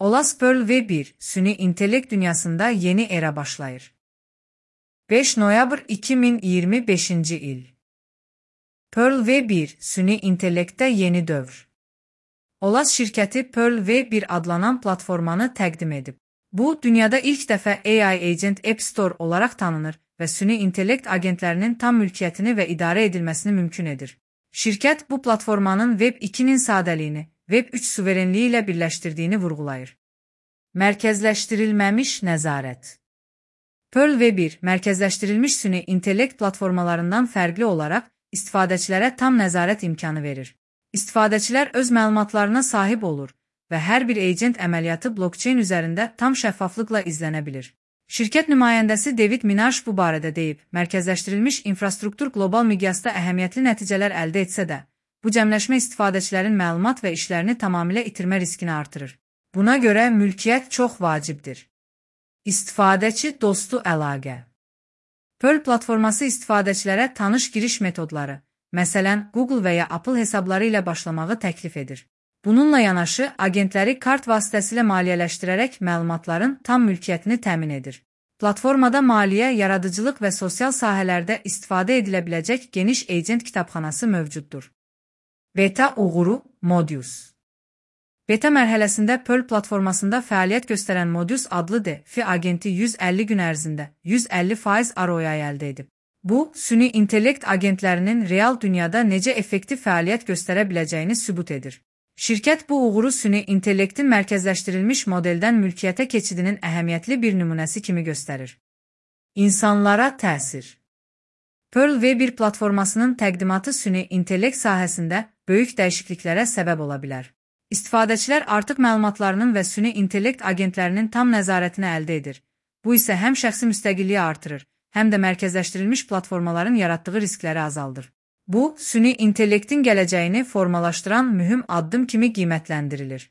Olas Pearl V1, süni intellekt dünyasında yeni era başlayır. 5 noyabr 2025 il. Pearl V1, süni intellekte yeni dövr. Olas şirkəti Pearl V1 adlanan platformanı təqdim edib. Bu, dünyada ilk dəfə AI Agent App Store olaraq tanınır və süni intellekt agentlərinin tam mülkiyyətini və idarə edilməsini mümkün edir. Şirkət bu platformanın Web 2-nin sadəliyini, Web 3 suverenliyi ilə birləşdirdiyini vurğulayır. Mərkəzləşdirilməmiş nəzarət. Pearl V1, mərkəzləşdirilmiş süni intellekt platformalarından fərqli olaraq istifadəçilərə tam nəzarət imkanı verir. İstifadəçilər öz məlumatlarına sahib olur və hər bir agent əməliyyatı blockchain üzərində tam şəffaflıqla izlənə bilir. Şirkət nümayəndəsi David Minaj bu barədə deyib, mərkəzləşdirilmiş infrastruktur qlobal miqyasda əhəmiyyətli nəticələr əldə etsə də, bu cəmləşmə istifadəçilərin məlumat və işlərini tamamilə itirmə riskini artırır. Buna görə mülkiyyət çox vacibdir. İstifadəçi dostu əlaqə. Pearl platforması istifadəçilərə tanış giriş metodları, məsələn, Google və ya Apple hesabları ilə başlamağı təklif edir. Bununla yanaşı, agentləri kart vasitəsilə maliyyələşdirərək məlumatların tam mülkiyyətini təmin edir. Platformada maliyyə, yaradıcılıq və sosial sahələrdə istifadə edilə biləcək geniş agent kitabxanası mövcuddur. Beta uğuru Modius. Beta mərhələsində Pearl platformasında fəaliyyət göstərən Modius adlı DeFi agenti 150 gün ərzində 150% ROI əldə edib. Bu, süni intellekt agentlərinin real dünyada necə effektiv fəaliyyət göstərə biləcəyini sübut edir. Şirkət bu uğuru süni intellektin mərkəzləşdirilmiş modeldən mülkiyyətə keçidinin əhəmiyyətli bir nümunəsi kimi göstərir. İnsanlara təsir. Pearl V1 platformasının təqdimatı süni intellekt sahəsində böyük dəyişikliklərə səbəb ola bilər. İstifadəçilər artıq məlumatlarının və süni intellekt agentlərinin tam nəzarətini əldə edir. Bu isə həm şəxsi müstəqilliyi artırır, həm də mərkəzləşdirilmiş platformaların yaratdığı riskləri azaldır. Bu, süni intellektin gələcəyini formalaşdıran mühüm addım kimi qiymətləndirilir.